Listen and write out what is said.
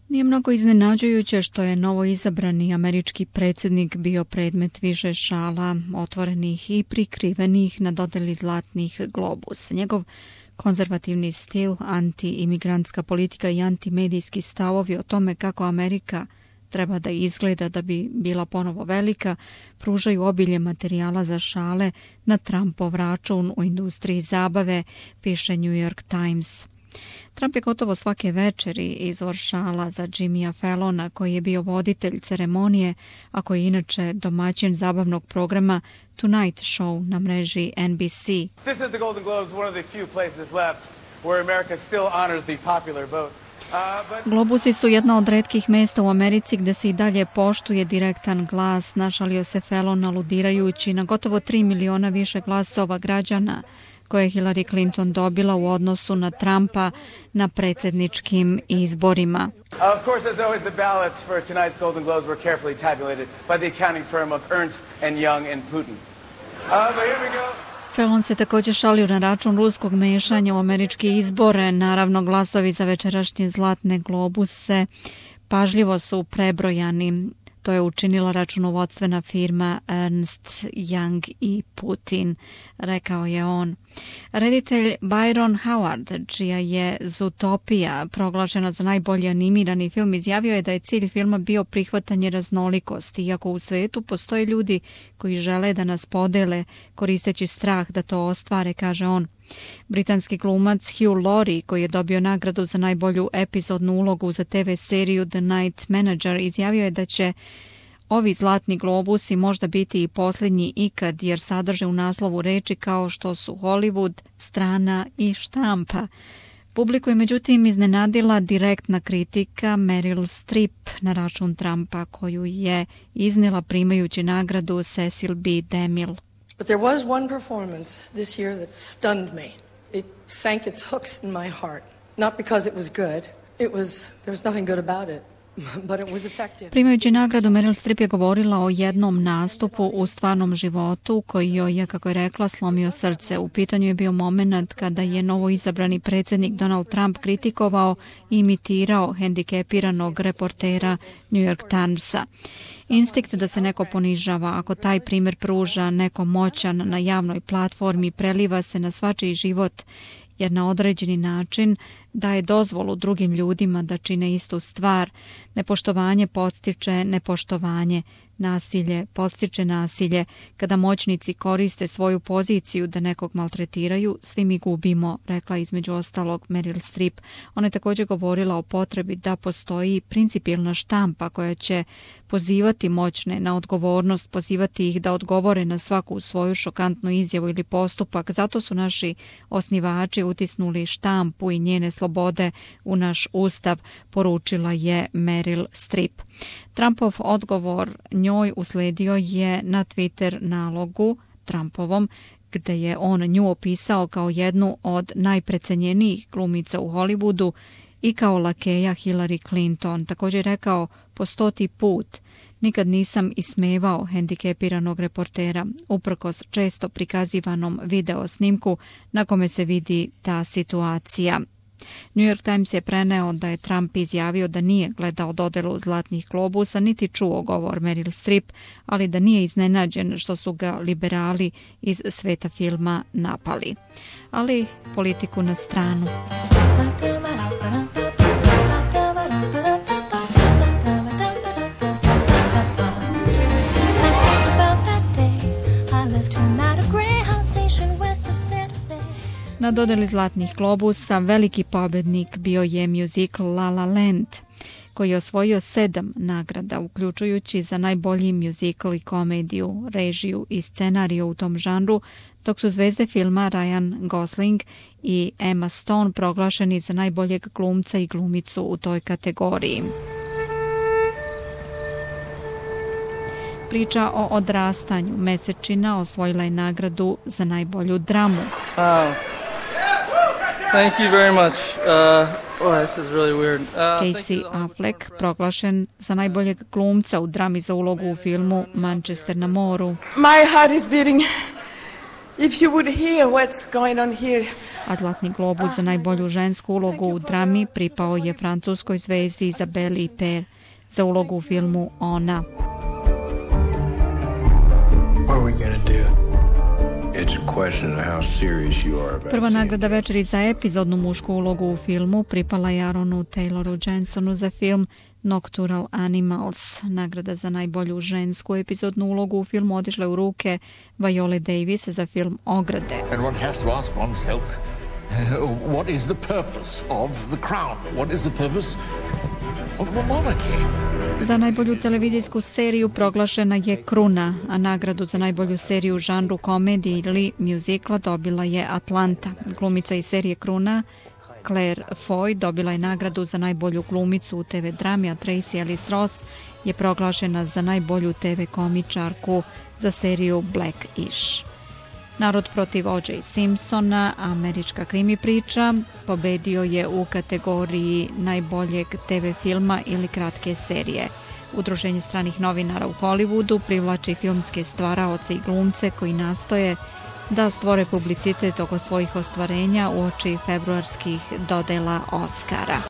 Nije mnogo iznenađujuće što je novoizabrani američki predsjednik bio predmet više šala, otvorenih i prikrivenih na dodjeli zlatnih globusa. Njegov konzervativni stil, anti-imigrantska politika i antimedijski stavovi o tome kako Amerika treba da izgleda da bi bila ponovo velika, pružaju obilje materijala za šale na Trumpov račun u industriji zabave, piše New York Times. Trump je gotovo svake večeri izvor šala za Jimmya Fallona, koji je bio voditelj ceremonije, a koji je inače domaćin zabavnog programa Tonight Show na mreži NBC. This is the Golden Globes, one of the few places left where America still honors the popular vote. Globusi su jedna od retkih mesta u Americi gde se i dalje poštuje direktan glas, našalio se Fallon aludirajući na gotovo 3 miliona više glasova građana koje je Hillary Clinton dobila u odnosu na Trumpa na predsjedničkim izborima. Of course, as always, the ballots for tonight's Golden Globes were carefully tabulated by the accounting firm of Ernst and Young and Putin. But here we go. Fallon se također šalio na račun ruskog mešanja u američke izbore. Naravno, glasovi za večerašnje zlatne globuse pažljivo su prebrojani. To je učinila računovodstvena firma Ernst, Young i Putin, rekao je on. Reditelj Byron Howard, čija je Zootopija proglašena za najbolji animirani film, izjavio je da je cilj filma bio prihvatanje raznolikosti, iako u svetu postoje ljudi koji žele da nas podele koristeći strah da to ostvare, kaže on. Britanski glumac Hugh Laurie, koji je dobio nagradu za najbolju epizodnu ulogu za TV seriju The Night Manager, izjavio je da će ovi zlatni globusi možda biti i posljednji ikad, jer sadrže u naslovu reči kao što su Hollywood, strana i štampa. Publiku je međutim iznenadila direktna kritika Meryl Streep na račun Trumpa, koju je iznijela primajući nagradu Cecil B. DeMille. But there was one performance this year that stunned me. It sank its hooks in my heart. Not because it was good. There was nothing good about it. But it was effective. Primajući nagradu, Meryl Streep je govorila o jednom nastupu u stvarnom životu koji joj je, kako je rekla, slomio srce. U pitanju je bio moment kada je novoizabrani predsjednik Donald Trump kritikovao i imitirao hendikepiranog reportera New York Timesa. Instinkt da se neko ponižava, ako taj primjer pruža neko moćan na javnoj platformi, preliva se na svačiji život, jer na određeni način daje dozvolu drugim ljudima da čine istu stvar. Nepoštovanje podstiče nepoštovanje, nasilje podstiče nasilje. Kada moćnici koriste svoju poziciju da nekog maltretiraju, svi mi gubimo, rekla između ostalog Meryl Streep. Ona je također govorila o potrebi da postoji principijelna štampa koja će pozivati moćne na odgovornost, pozivati ih da odgovore na svaku svoju šokantnu izjavu ili postupak. Zato su naši osnivači utisnuli štampu i njene slobode u naš ustav, poručila je Meryl Streep. Trumpov odgovor njoj usledio je na Twitter nalogu Trumpovom, gde je on nju opisao kao jednu od najprecenjenijih glumica u Hollywoodu i kao lakeja Hillary Clinton. Također rekao po 100. put: nikad nisam ismevao hendikepiranog reportera, uprkos često prikazivanom video snimku na kome se vidi ta situacija. New York Times je preneo da je Trump izjavio da nije gledao dodelu zlatnih globusa niti čuo govor Meryl Streep, ali da nije iznenađen što su ga liberali iz sveta filma napali. Ali politiku na stranu. Na dodeli zlatnih globusa veliki pobjednik bio je muzikl La La Land, koji je osvojio 7 nagrada, uključujući za najbolji muzikl i komediju, režiju i scenariju u tom žanru, dok su zvezde filma Ryan Gosling i Emma Stone proglašeni za najboljeg glumca i glumicu u toj kategoriji. Priča o odrastanju mesečina osvojila je nagradu za najbolju dramu. Thank you very much. This is really weird. Casey Affleck proglašen za najboljeg glumca u drami za ulogu u filmu Manchester na moru. My heart is beating If you would hear what's going on here. A Zlatni globus za najbolju žensku ulogu u drami pripao je francuskoj zvezdi Isabelle Huppert za ulogu u filmu Ona. Prva nagrada večeri za epizodnu mušku ulogu u filmu pripala je Aaronu Tayloru Jensonu za film Nocturnal Animals. Nagrada za najbolju žensku epizodnu ulogu u filmu otišla u ruke Viole Davis za film Ograde. And one has to ask oneself, what is the purpose of the crown? What is the purpose of the monarchy? Za najbolju televizijsku seriju proglašena je Kruna, a nagradu za najbolju seriju u žanru komedije ili muzikla dobila je Atlanta. Glumica iz serije Kruna, Claire Foy, dobila je nagradu za najbolju glumicu u TV drami, a Tracy Ellis Ross je proglašena za najbolju TV komičarku za seriju Black-ish. Narod protiv O.J. Simpsona, američka krimi priča, pobedio je u kategoriji najboljeg TV filma ili kratke serije. Udruženje stranih novinara u Hollywoodu privlači filmske stvaraoce i glumce koji nastoje da stvore publicitet oko svojih ostvarenja uoči februarskih dodela Oscara.